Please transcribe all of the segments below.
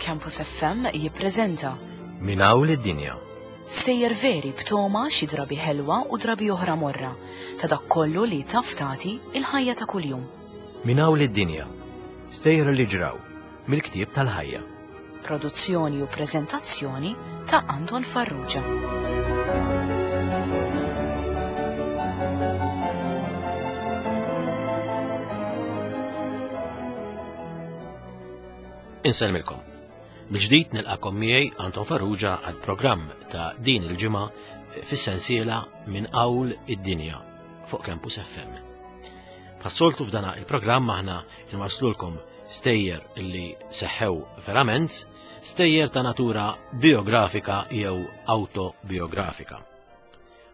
Campus FM jippreżenta Minn hawn lid-dinja. Sejjer veri b'toma xi drabi ħelwa u drabi oħra morra ta' dak kollu li taf tagħti il-ħajja ta' kuljum. Minn hawn lid-dinja. Stejjer li ġraw mill-ktieb tal-ħajja. Produzzjoni u preżentazzjoni ta' Anton Farrugia. Insellmilkom. Mill-ġdid nilqakom miegħi Anton Farrugia għal programm ta' din il-ġimgħa fis-sensiela minn qawl id-dinja fuq Campus FM. Bħas-soltu f'dana il-programm aħna nwaslulkom stejjer li seħħew verament, stejjer ta' natura biografika jew autobiografika.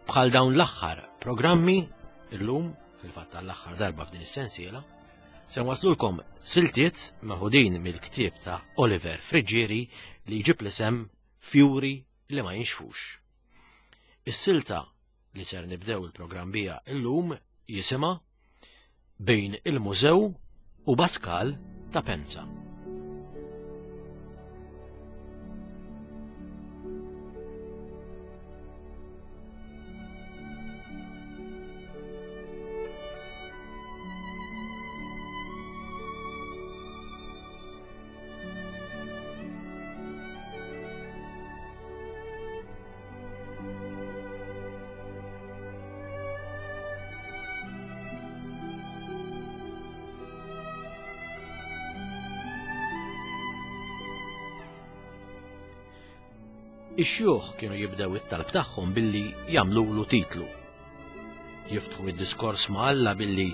Bħal dawn l-aħħar programmi, illum, fil-fatt għall-aħħar darba f'din is-sensiela, se nwaslulkom siltiet meħudin mill-ktieb ta' Oliver Friggieri li jġib l-isem Fjuri li ma jinxfux. Is-silta li ser nibdew il-programm bija illum jisimha Bejn il-Mużew u Baskal ta' Penza. Ix-xjuħ kienu jibdew it-talb tagħhom billi jagħmlulu titlu. Jiftħu id-diskors ma' Alla billi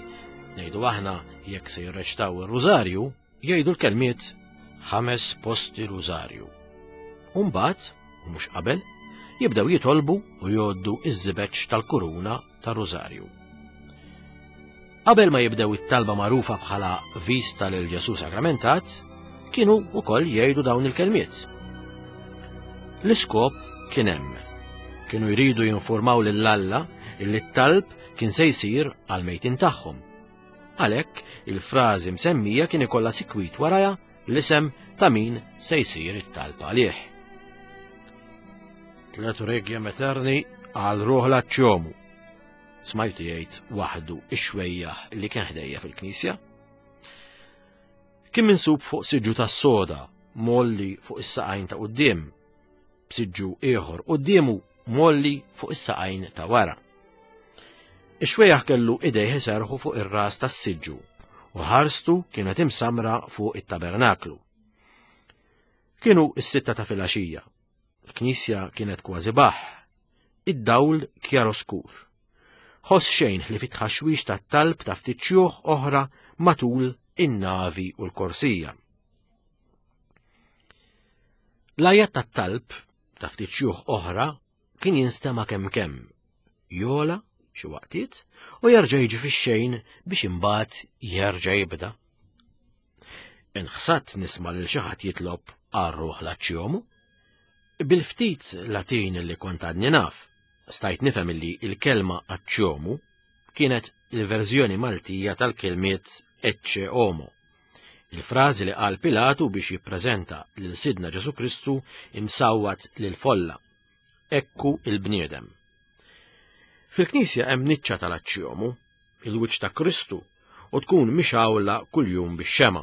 ngħidu aħna jekk se jirreċtaw ir-rużarju, Jgħidu l-kelmiet ħames posti rużarju. U mbagħad, u mhux qabel, jibdew jitolbu u jgħoddu iż-żibeġ tal-kuruna tar-rużarju. Qabel ma jibdew it-talba magħrufa bħala vista lil Ġesu Sagramentat, kienu wkoll jgħidu dawn il-kelmiet. L-iskop kien hemm. Kienu jridu jinformaw lil Alla illi t-talb kien se jsir għal mejtin tagħhom Għalhekk, il-frażi msemmija kien ikollha sikwit warajha l-isem ta' min se jsir it-talb għalih. Tlet requiem eterni għal ruħ l-aċċjomu. Smajtu jgħid waħdu ix-xwejjaħ li kien ħdejja fil-knisja. Kien minsub fuq siġġu tas-soda molli fuq is-saqajn ta' quddiem b'siġġu ieħor quddiemu mgħolli fuq is-saqajn ta' wara. Ix-xwejjaħ kellu idejh iserrħu fuq ir-ras tas-siġġu u ħarstu kienet imsamra fuq it-tabernaklu. Kienu s-sitta ta' filgħaxija. Il-knisja kienet kważi baħ. Id-dawl kjaroskur. Ħoss xejn li fit-tħaxwix tat-talb ta' ftit xjuħ oħra matul in-navi u l-korsija. L-għajat tat-talb ta' ftit xjuħ oħra kien jinstema' kemm kemm, jola xi waqtiet u jerġa' jiġi fix-xejn biex imbagħad jerġa' jibda. Inħsadt nisma' lil xi ħadd jitlob għar-ruħ l-aċċjomu. Bil-ftit Latin li kont għadni naf, stajt nifhem illi il-kelma aċċjomu kienet il-verżjoni Maltija tal-kelmiet ecce homo. Il-frażi li qal Pilatu biex jippreżenta lil Sidna Ġesu Kristu imsawwat lil folla. Ekku il-bniedem. Fil-Knisja hemm niċċa tal-aċċjomu, il-wiċċ ta' Kristu, u tkun mixgħula kuljum bix-xema.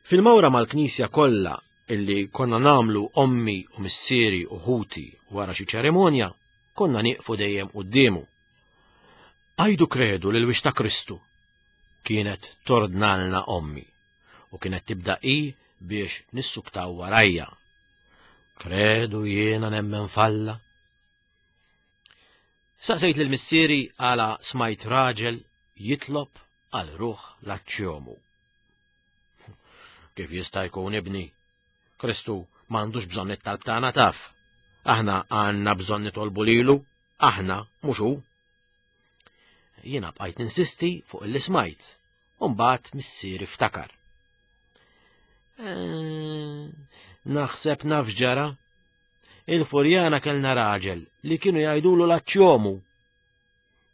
Fil-mawra mal-Knisja kollha illi konna namlu ommi u missieri u ħuti wara xi ċerimonja, konna nieqfu dejjem quddiemu. Għajdu kredu lil wiċċ ta' Kristu kienet tordnalna ommi u kienet tibda hi biex nissuktaw warajja. Kredu jiena nemmen falla. Saqsejt lil missieri għala smajt raġel jitlob għal ruħ l-aċċjomu. Kif jista' jkun ibni? Kristu m'għandux bżonn it-talb tagħna taf. Aħna għandna bżonn nitolbu lilu, aħna mhux hu. Jiena bqajt ninsisti fuq illi smajt, u mbagħad missieri ftakar. Eh, naħseb naf ġara. Il-Furjana kellna raġel li kienu jgħidulu l-aċċjomu.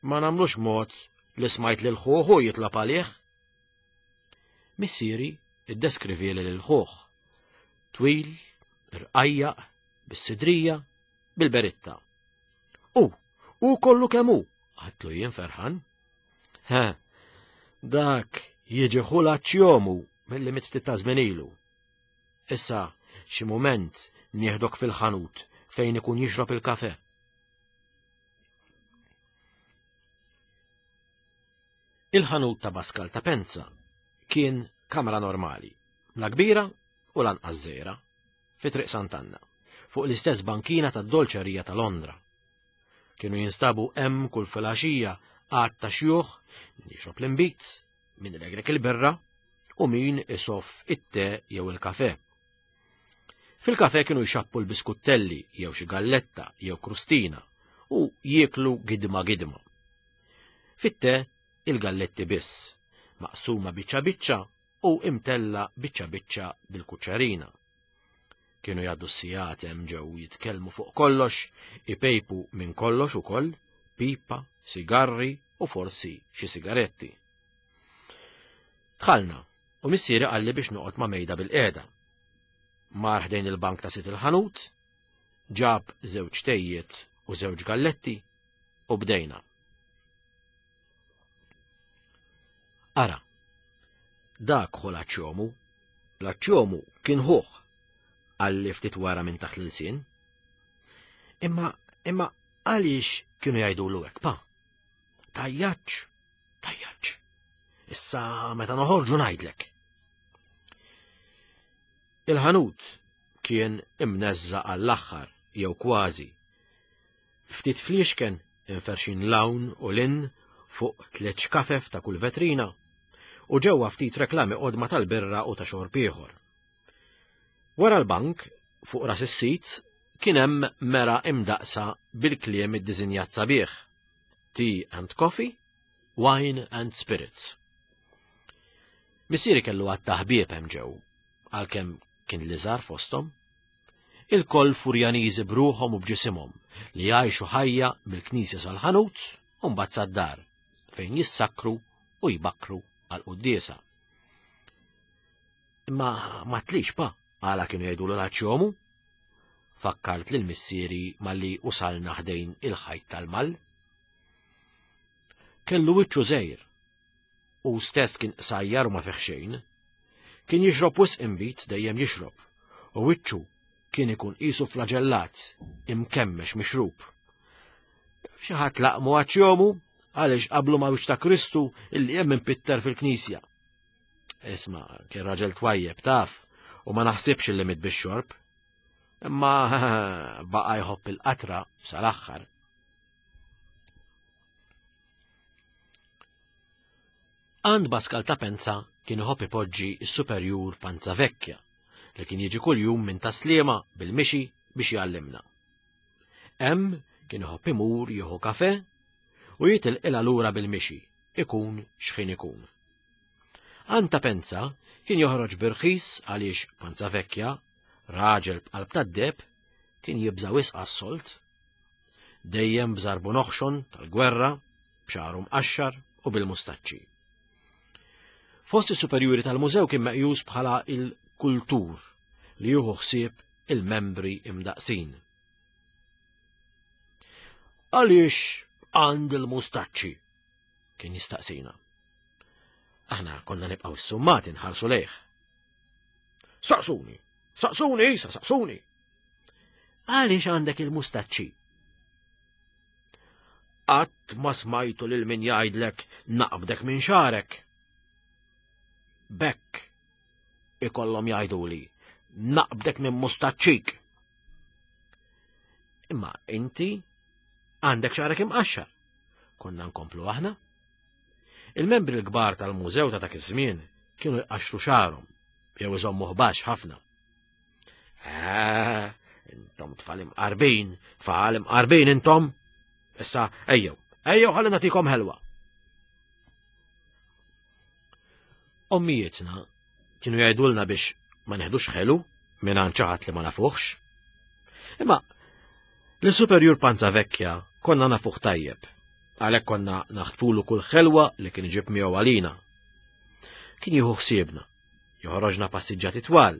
Ma nagħmlux mod li smajt lil ħuħu jitlob għalih. Missieri iddeskrivieli lil ħuħ. Twil, irqajjaq, bis-sidrija, bil-beritta. U, u kollu kemm hu, għatlu jien ferħan. Ha, dak jiġi ħula ċjomu mill-li mit ftit ta' żmien ilu. Issa, xi mument nieħdok fil-ħanut fejn ikun jixrob il-kafe. Il-ħanut ta' Baskal ta' Penza kien kamra normali, la kbira u lanqas żgħira, fi Triq Sant'Anna, fuq l-istess bankina tad-dolċerija ta' Londra. Kienu jinstabu hemm kull filgħaxija għadd ta' xjuħ min jixrob l-inbid, min ilegrek il-birra u min isoff it-te jew il-kafe. Fil-kafe kienu jxappu l-biskuttelli jew xi galletta jew krustina u jieklu gidma gidma. Fit-te il-galletti biss, maqsuma biċċa biċċa u imtella biċċa biċċa bil-kuċċarina. Kienu jgħaddu s-sigħat hemm ġew jitkellmu fuq kollox, ipejpu minn kollox ukoll, pipa, sigarri u forsi xi sigaretti. Dħalna u missieri qalli biex noqgħod ma' mejda bil-qiegħda. Mar ħdejn il-bank ta' sit il-ħanut, ġab żewġ tejjiet u żewġ galletti u bdejna. Ara, dak hu l-aċċjomu. L-aċċjomu kien ħuh, qalli ftit wara minn taħt l-ilsien. Imma, imma għaliex kienu jgħidulu hekk, pa? Tajjaċ, tajjaċ. Issa meta noħorġu ngħidlek. Il-ħanut kien imneżża għall-aħħar jew kważi. Ftit fliexken imferrxin 'l hawn u 'l hinn fuq tliet xkafef ta' kull vetrina u ġewwa ftit reklami qodma tal-birra u ta' xorb ieħor. Wara l-bank, fuq ras is-sit, kien hemm mera imdaqqsa bil-kliem iddisinjat sabiħ, Tea and Coffee, Wine and Spirits. Missieri kellu għadd ta' ħbieb hemm ġew, għalkemm kien l-iżgħar fosthom. Ilkoll Furjaniżi b'ruħhom u b'ġisimhom li jgħixu ħajja mill-knisja sal-ħanut u mbagħad sad-dar fejn jissakkru u jbakkru għall-quddiesa. Imma ma tlix pa għala kienu jgħidulu l-aċjomu? Fakkart lil missieri malli usalna ħdejn il-ħajt tal-mal. Kellu wiċċu żgħir Hu stess kien qsajjar u ma fih xejn. Kien jixrob wisq inbid, dejjem jixrob, u wiċċu kien ikun qisu flaġellat, imkemmex mixrub. Xi ħadd laqmu għaċ-jomu għaliex qablu ma' wiċċ ta' Kristu illi hemm impitter fil-knisja. Isma' kien raġel twajjeb taf u ma naħsibx illi miet bix-xorb. Imma baqa' jħobb il-qatra sal-aħħar. Għand Baskal ta' Penza kien iħobb ipoġġi s-superjur Panza Vecchia li kien jiġi kuljum minn Tas-Sliema bil-mixi biex jgħallimna. Hemm kien iħobb imur jieħu kafe u jitilqilha lura bil-mixi, ikun x'ħin ikun. Għand ta' Penza kien joħroġ b'irħis għaliex Panza Vecchia, raġel b'qalb tad-deheb, kien jibża' wisq għas-sold. Dejjem b'żarbun oħxon tal-gwerra, b'xagħru mqaxxar u bil-mustaċċi. Fost is-superjuri tal-mużew kien meqjus bħala il-kultur li jieħu ħsieb il-membri imdaqsin. Għaliex għand il-mustaċċi? Kien jistaqsina. Aħna konna nibqgħu ssummati nħarsu lejh. Saqsuni, saqsuni, isa, saqsuni. Għaliex għandek il-mustaċċi? Qatt ma smajtu lil min jgħidlek naqbdek minn xarek. Bekk ikollhom jgħiduli naqbdek minn mustaċċik. Imma inti għandek xarek imqaxxar. Konna nkomplu aħna. Il-membri l-kbar tal-mużew ta' dak iż-żmien kienu jqaxxru xarhom jew iżommuh baxx ħafna. Eh, intom tfal imqarbin, tfal imqarbin intom. Issa, ejjew, ejjew ħalli nagħtikom ħelwa. Ommijietna kienu jgħidulna biex ma neħdux ħelu minn għand xi ħadd li ma nafuħx. Imma l-superjur Panza Vecchia konna nafuh tajjeb, għalhekk konna naħtfulu kull ħelwa li kien iġib miegħu għalina. Kien jieħu ħsiebna, joħroġna passiġġati twal,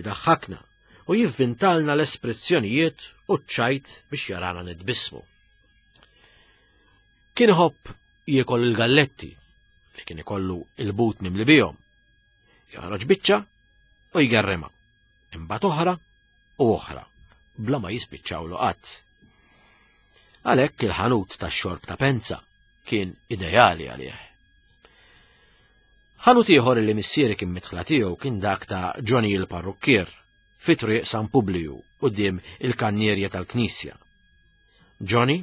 idaħħakna. u jivvintalna l-espressjonijiet u ċ-ċajt biex jarana nitbissmu. Kien iħobb jiekol il-galletti li kien ikollu il-but mimli bihom. Joħroġ biċċa u jgerrema. Imbagħad oħra u oħra, bla ma jispiċċawlu qatt. Għalhekk il-ħanut tax-xorb ta' Penza kien ideali għalih. Ħanut ieħor li missieri kien mitħla tiegħu kien dak ta' Johnny il-Parrukkier fi triq San Publiju quddiem il-kannierja tal-Knisja. Johnny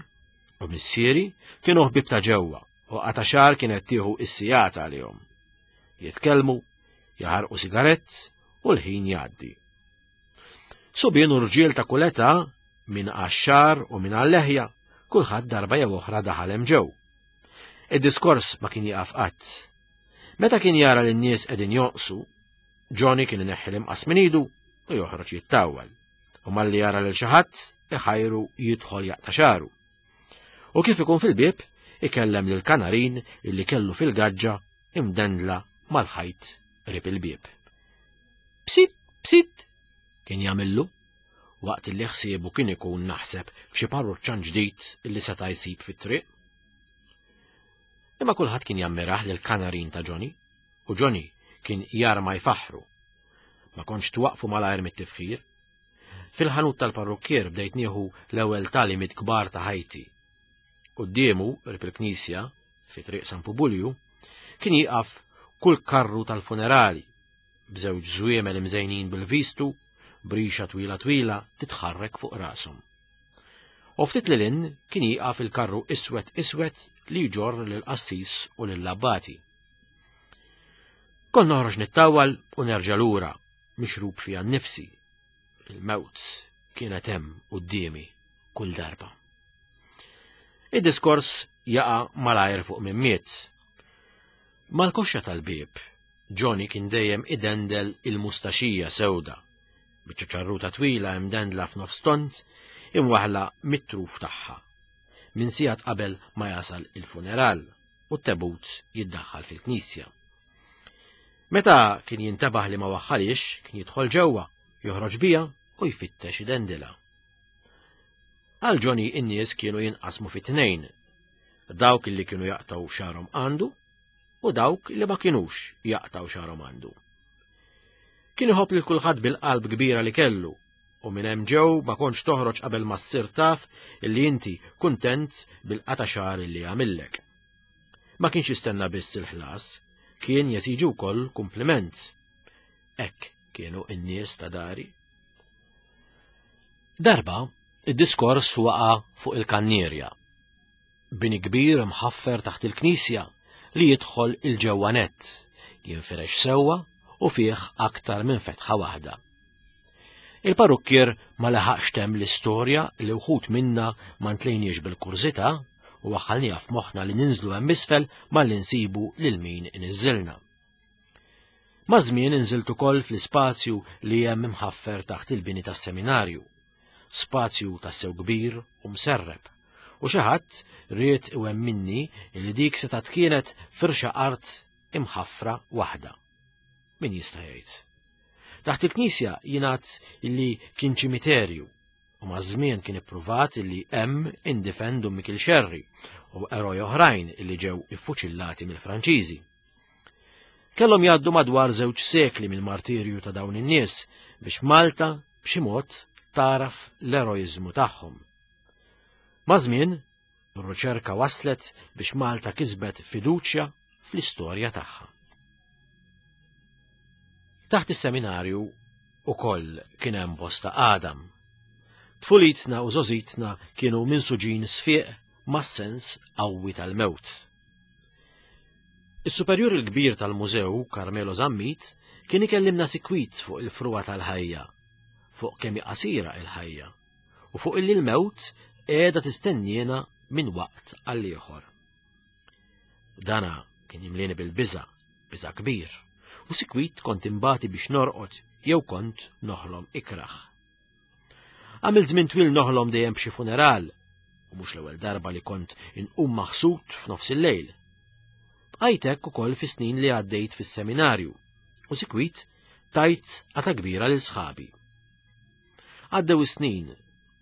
u missieri kienu ħbieb ta' ġewwa u qata' xahar kienet tieħu is-sigħat għalihom. Jitkellmu, jaħarqu sigarett u l-ħin jgħaddi. Subien u rġiel ta' kull età, min għax-xagħar u min għal-leħja, kulħadd darba jew oħra daħal hemm ġew. Id-diskors ma kien jieqaf qatt. Meta kien jara li n-nies qegħdin jonqsu, Johnny kien ineħħi l-imqas minn idu u joħroġ jittawwal. U malli jara lil xi ħadd, iħajru jidħol jaqta' xagħru. U kif ikun fil-bieb, ikellem lil kanarin illi kellu fil-gaġġa imdendla mal-ħajt qrib il-bieb. Psit, psit, kien jagħmillu waqt li ħsiebu kien ikun naħseb f'xi parruċċan ġdid illi seta' jsib fit-triq. Imma kulħadd kien jammirah lil kanarin ta' Johnny u Johnny kien jarma jfaħħru. Ma kontx twaqfu malajr mit-tifħir. Fil-ħanut tal-parrukkier bdejt nieħu l-ewwel tagħlimiet kbar ta' ħajti. Quddiemu, qrib il-knisja, fi triq San Pubulju, kien jieqaf kull karru tal-funerali, b'żewġ żwiemel imżejnin bil-vistu, b'rixa twila twila titħarrek fuq rashom. U ftit lil hinn kien jieqaf il-karru iswed iswed li jġorr lill-qassis u lill-abbati. Kont noħroġ nittawwal u nerġa' lura, mixrub fija nnifsi. Il-mewt kienet hemm quddiemi kull darba. Id-diskors jaqa' malajr fuq min miet. Mal-koxxa tal-bieb, Johnny kien dejjem idendel il-mustaxija sewda, biċċa ċarruta twila imdendla f'nofs tond, imwaħħla mit-truf tagħha, minn sigħat qabel ma jasal il-funeral u t-tebut jiddaħħal fil-knisja. Meta kien jintebaħ li ma waħħalhiex, kien jidħol ġewwa, joħroġ biha u jfittex idendilha. Għal Johnny in-nies kienu jinqasmu fi tnejn, dawk li kienu jaqtgħu xagħarhom għandu u dawk li ma kinux jaqtgħu xagħarhom għandu. Kien iħobb lil kulħadd bil-qalb kbira li kellu u minn hemm ġew ma kontx toħroġ qabel ma ssir taf illi inti kuntent bil-qata' xagħar illi għamillek. Ma kienx jistenna biss il-ħlas, kien jesiġi wkoll kumpliment. Hekk kienu n-nies ta' dari. Darba, id-diskors waqa' fuq il-kannierja. Bini kbir mħaffer taħt il-knisja li jidħol il-ġewwa nett, jinfirex sewwa u fih aktar minn fetħa waħda. Il-parukkier ma laħaqx temm l-istorja li wħud minna ma ntlejniex bil-kurżità u waħħalniha f'moħħna li ninżlu hemm isfel malli nsibu lil min iniżżilna. Maż-żmien inżilt ukoll fl-ispazju li hemm imħaffer taħt il-bini tas-seminarju. Spazju tassew kbir u mserreb. U xi ħadd ried iwemminni li dik setgħet kienet firxa art imħaffra waħda. Min jista' jgħid? Taħt il-knisja jingħad li kien ċimiterju u maż-żmien kien ippruvat li hemm indifen Dun Mikiel Xerri u eroj oħrajn li ġew iffuċillati mill-Franċiżi. Kellhom jgħaddu madwar żewġ sekli mill-martirju ta' dawn in-nies biex Malta b'xi mod tagħraf l-eroiżmu tagħhom. Maż-żmien, ir-riċerka waslet biex Malta kisbet fiduċja fl-istorja tagħha. Taħt is-seminarju ukoll kien hemm bosta għadam. Tfulitna u żgħożitna kienu minsuġin sfiq mas-sens qawwi tal-mewt. Is-superjur il-kbir tal-mużew, Carmelo Zammit, kien ikellimna sikwit fuq il-frugħa tal-ħajja, fuq kemm hi qasira il-ħajja, u fuq illi l-mewt qiegħda tistenniena minn waqt għal ieħor. Dana kien jimlieni bil-biża', biża' kbir, u sikwit kont imbati biex norqod jew kont noħlom ikrah. Għamilt żmien twil noħlom dejjem b'xi funeral, u mhux l-ewwel darba li kont inqum maħsud f'nofs il-lejl. Bqajt hekk ukoll fis-snin li għaddejt fis-seminarju, u sikwit tajt għata kbira lil sħabi. Għaddew is-snin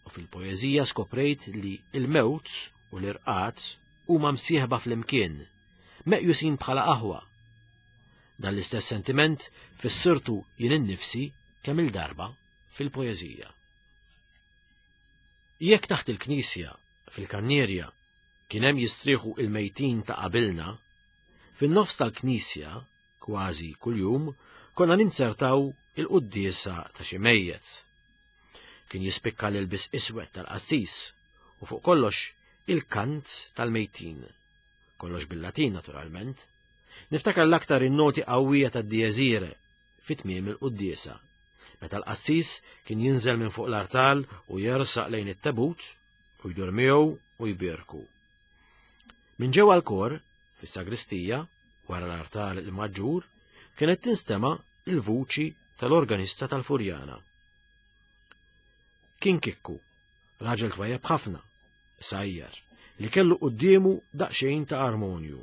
u fil-poeżija skoprejt li l-mewt u l-irqad huma msieħba flimkien, meqjusin bħala aħwa. Dan l-istess sentiment fissirtu jien innifsi kemm il-darba fil-poeżija. Jekk taħt il-knisja, fil-kannierja, kien hemm jistrieħu il-mejtin ta' qabilna, fin-nofs tal-knisja, kważi kuljum, konna ninzertaw il-quddiesa ta' xi mejjet. Kien jispikka l-ilbis iswed tal-qassis u fuq kollox il-kant tal-mejtin. Kollox bil-Latin naturalment. Niftakar l-aktar in-noti qawwija tad-dies irae fi tmiem il-quddiesa, meta l-qassis kien jinżel minn fuq l-artal u jersaq lejn it-tebut u jdur miegħu u jbierku. Minn ġewwa l-kor, fis-sagristija, wara l-artal il-maġġur, kienet tinstema' il-vuċi tal-organista tal-Furjana. Kien Kikku, raġel twajjeb ħafna, sajjar, li kellu quddiemu daqsxejn ta' armonju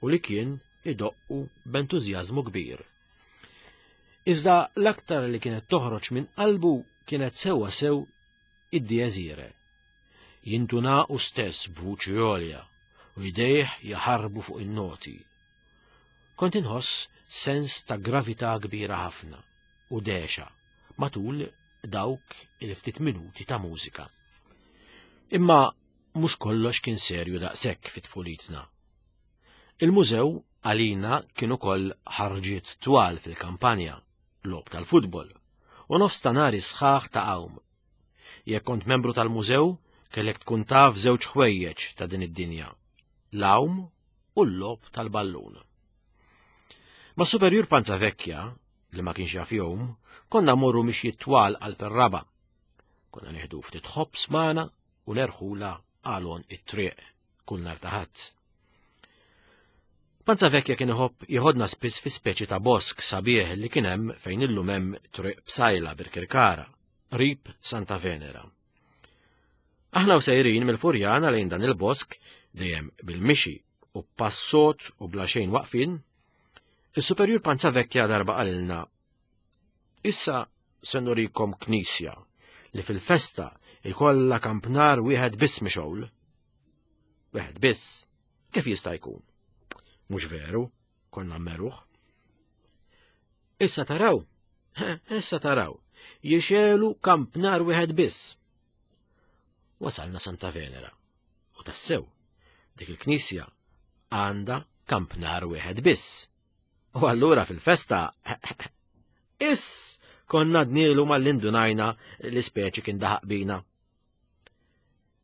u li kien idoqqu b'entużjażmu kbir. Iżda l-aktar li kienet toħroġ minn qalbu kienet sewwa sew id-dies irae. Jintuna u stess b'vuċi għolja u jdejh jaħarbu fuq in-noti. Kont inħoss sens ta' gravità kbira ħafna u dehxa matul dawk il-ftit minuti ta' mużika. Imma mhux kollox kien serju daqshekk fi tfulitna. Il-mużew għalina kien ukoll ħarġiet twal fil-kampanja, logħob tal-futbol, u nofs ta' nhari sħaħ ta' għawm. Jekk kont membru tal-mużew, kellek tkun taf żewġ ħwejjeġ ta' din id-dinja, l-għawm u l-logħob tal-ballun. Ma' Superjur Panza Vecchia, li ma kienx jaf jgħum, konna morru mixjiet twal qalb ir-raba'. Konna nieħdu ftit ħobż magħna u nerħula għal għonq it-triq kull nhar ta' Ħadd. Panza Vecchia kien iħobb jieħodna spiss fi speċi ta' bosk sabiħ li kien hemm fejn illum hemm triq Psajla Birkirkara, qrib Santa Venera. Aħna u sejrin mill-Furjana lejn dan il-bosk dejjem bil-mixi u passot u bla xejn waqfin, is-Superjur Panza Vecchia darba qalilna Issa se nurikom knisja li fil-festa ikollha kampnar wieħed biss mixgħul. Wieħed biss, kif jista' jkun? Mhux veru, konna meruħ. Issa taraw, issa taraw, jixelu kampnar wieħed biss. Wasalna Santa Venera. U tassew, dik il-knisja għandha kampnar wieħed biss. U allura fil-festa, iss, konna dnielu mal-indunajna li speċi kien daħaq bina.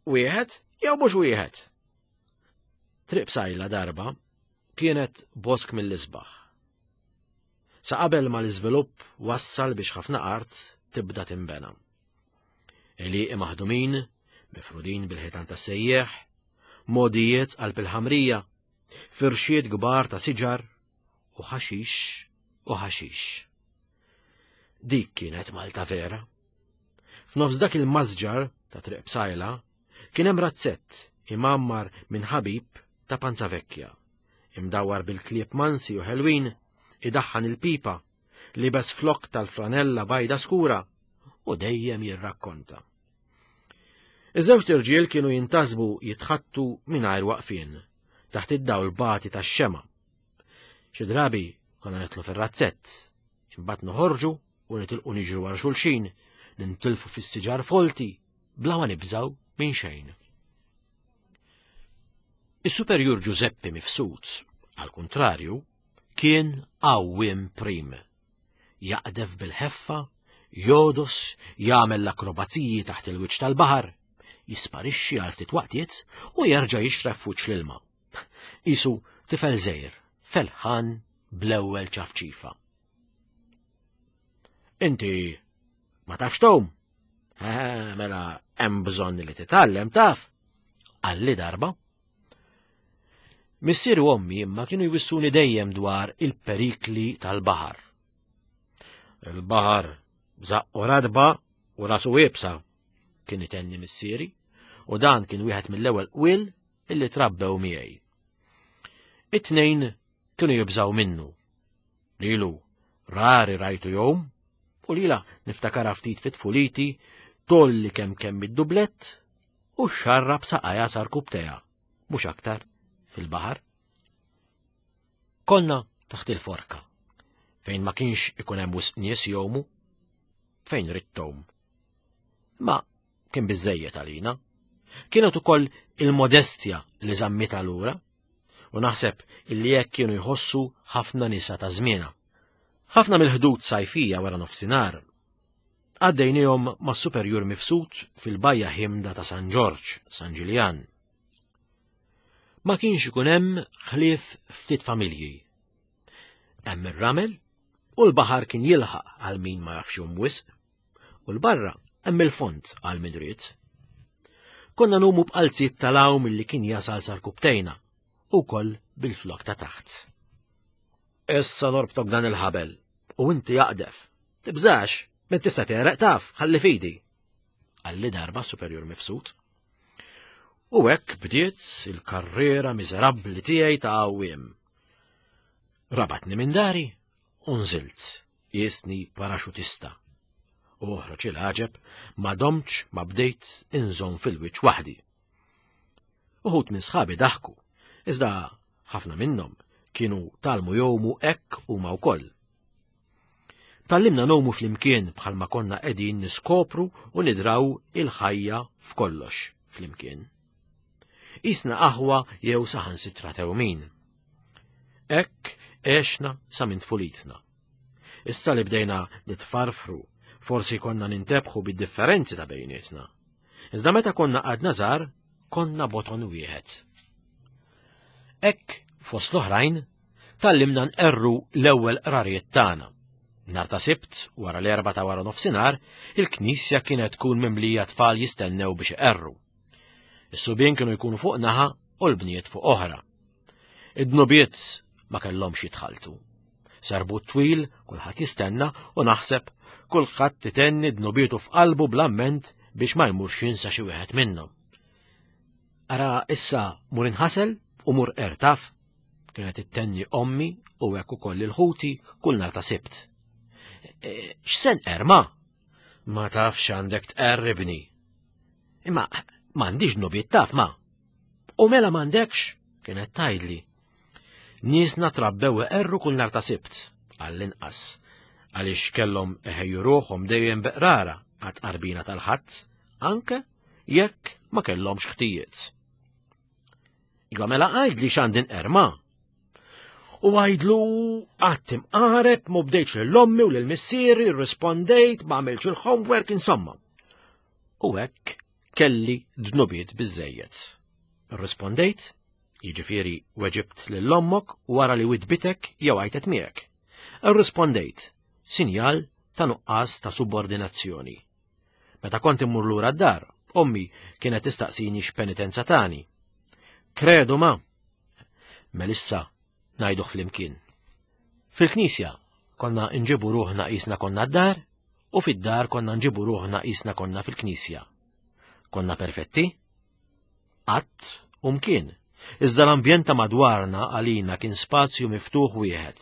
Wieħed jew mhux wieħed? Triq Psajla darba kienet bosk mill-isbaħ. Sa qabel ma l-iżvilupp wassal biex ħafna art tibda tinbena. Għelieqi maħdumin, mifrudin bil-ħitan tas-sejjeħ, modijiet qalb il-ħamrija, firxiet kbar ta' siġar u ħaxix u ħaxix. Dik kienet Malta vera. F'nofs dak il-masġar ta' Triq Psajla kien hemm razzett imammar minn ħabib ta' Panza Vecchia, imdawwar bil-klieb mansi u ħelwin, idaħħan il-pipa, libes flokk tal-franella bajda skura u dejjem jirrakkonta. Iż-żewġt irġiel kienu jintasbu jitħattu mingħajr waqfien, taħt id-dawl bati tax-xema. Xi drabi konna nitlu fir-razzett, imbagħad noħorġu u nitilqu niġru wara xulxin, nintilfu fis-siġar folti, bla ma nibżgħu minn xejn. Is-Superjur Ġużeppi Mifsud, għall-kuntrarju, kien għawwiem prim. Jaqdef bil-ħeffa, jogħdos, jagħmel l-akrobaziji taħt il-wiċċ tal-baħar, jisparixxi għal ftit waqtiet u jerġa' jixref f'wiċċ l-ilma. Qisu tifel żgħir, felħan bl-ewwel ċafċifa. Inti ma tafx tgħum? Mela hemm bżonn li titgħallem taf. Qalli darba. Missieri u ommi imma kienu jwissuni dejjem dwar il-perikli tal-baħar. Il-baħar żaqqu radba u rasu iebsa, kien itenni missieri, u dan kien wieħed mill-ewwel qwiel illi trabbew miegħi. It-tnejn kienu jibżaw minnu. Lilu rari rajtu jom, u lila niftakara ftit fit-tfuliti Tolli kemm kemm id-dublett u xxarrab saqajha sar kubtejha, mhux aktar, fil-baħar. Konna taħt il-forka, fejn ma kienx ikun hemm wisq nies jgħumu, fejn ridt tgħum. Ma kien biżejjed għalina. Kienet ukoll il-modestja li żammitha lura, u naħseb illi hekk kienu jħossu ħafna nisa ta' żmiena. Ħafna mill-ħdud sajfija wara nofsinhar għaddejnihom mas-superjur mifsud fil-bajja ħimda ta' San Ġorġ, San Ġiljan. Ma kienx ikun hemm ħlief ftit familji. Hemm ir-ramel u l-baħar kien jilħaq għal min ma jafx jum wisq, u l-barra hemm il-fond għal min ried. Konna numu b'qalziet tal-għawm li kien jasal sar-kubtejna u wkoll bil-flok ta' taħt. Issa norbtok dan il-ħabel u inti jaqdef. Tibżax, minn tista' tereq taf, ħalli fidi. Għalli darba superjur mifsud. U hekk bdiet il-karriera miżerabbli tiegħi ta' għawiem. Rabatni minn dari u nżilt, jisni paraxutista. U oħroġ il-għaġeb ma domtx ma bdejt inżomm fil-wiċċ waħdi. Uħud minn sħabi daħku, iżda ħafna minnhom kienu talmu jgħumu hekk huma wkoll. Tallimna ngħumu flimkien bħalma konna qegħdin niskopru u nidraw il-ħajja f'kollox flimkien. Isna aħwa jew saħansitra tewmin. Hekk għexna sa minn tfulitna. Issa li bdejna nitfarfru, forsi konna nintebħu bid-differenzi ta' bejnietna. Iżda meta konna għadna żgħar, konna boton wieħed. Hekk, fost l-oħrajn, tgħallimna nqerru l-ewwel qrarijiet tagħna. Nhar ta' Sibt, wara l-erba' ta' wara nofsinhar, il-knisja kienet tkun mimlija tfal jistennew biex iqerru. Is-subien kienu jkunu fuq naħa u l-bniet fuq oħra. Id-dnubiet ma kellhomx jitħaltu. Serbut twil, kulħadd jistenna u naħseb kulħadd itenni dnubietu f'qalbu bl-amment biex ma jmurx jinsa xi wieħed minnhom. Ara issa mur inħasel u mur ertaf, kienet ittenni ommi u hekk ukoll il-ħuti kull nhar ta' Sibt. E, x'sen erma? Ma tafx għandek tqerribni. Imma m'għandix dnubiet taf ma. U mela m'għandekx, kienet tgħidli. Niesna trabbew iqerru kull nhar ta' Sibt, għall-inqas, għaliex kellhom iħejju ruħhom dejjem beqrara għat-tqarbina tal-Ħadd, anke jekk ma kellhomx ħtijiet. Iva mela għajdli x'għandi nqerma. U għajdlu qatt imqareb ma bdejtx lil ommi u lil missieri, rrispondejt, ma għamilx il-homework, insomma. U hekk kelli dnubiet biżejjed. Rrispondejt, Jiġifieri weġibt lil ommok wara li widbitek jew għajtet miegħek. Irrispondejt, sinjal ta' nuqqas ta' subordinazzjoni. Meta kont immur lura d-dar, ommi kienet tistaqsini x'penitenza tani. Kredu ma! Melissa ngħiduh flimkien. Fil-knisja konna nġibu ruħna qisna konna d-dar u fid-dar konna nġibu ruħna qisna konna fil-knisja. Konna perfetti? Qatt u mkien. Iżda l-ambjent ta' madwarna għalina kien spazju miftuħ wieħed.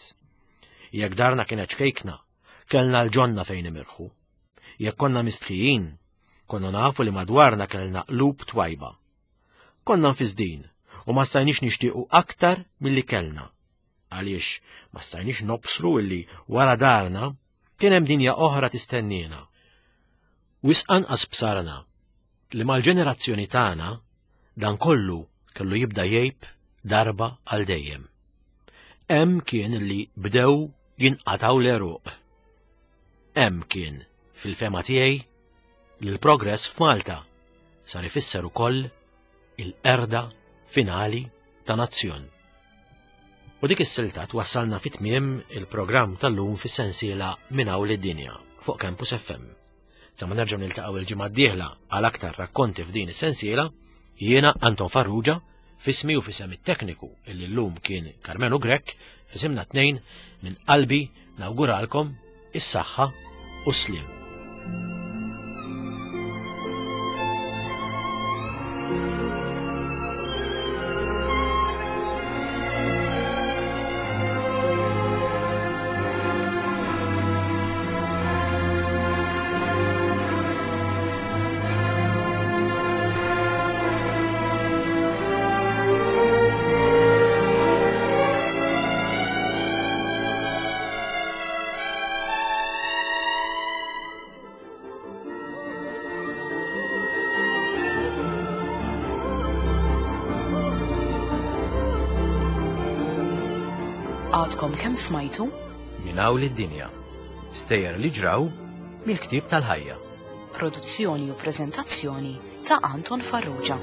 Jekk darna kienet ċkejkna, kellna l-ġonna fejn imirħu. Jekk konna mistħijin, konna nafu li madwarna kellna qlub twajba. Konna nfisdin u ma stajniex nixtiequ aktar milli kellna. Għaliex ma stajniex nobsru illi wara darna kien hemm dinja oħra tistenniena. Wisq anqas bsarna li mal-ġenerazzjoni tagħna dan kollu kellu jibda jgħib darba għal dejjem. Hemm kien li bdew jinqataw l-għeruq. Hemm kien, fil-fema tiegħi, li l-progress f'Malta sar ifisser ukoll il-qerda finali ta' nazzjon. U dik is-silta twassalna fit tmiem il-programm tal-lum fis-sensiela Minn hawn lid-dinja fuq Campus FM. Sa ma nerġgħu niltaqgħu il-ġimgħa d-dieħla għal aktar rakkonti f'din is-sensiela, jiena Anton Farrugia, fismi u fisem it-tekniku illi llum kien Carmenu Grech, fisimna tnejn minn qalbi nawguralkom is-saħħa u s-sliem. Għadkom kemm smajtu? Minn hawn id-dinja. Stejjer li ġraw mill-ktieb tal-ħajja. Produzzjoni u preżentazzjoni ta' Anton Farrugia.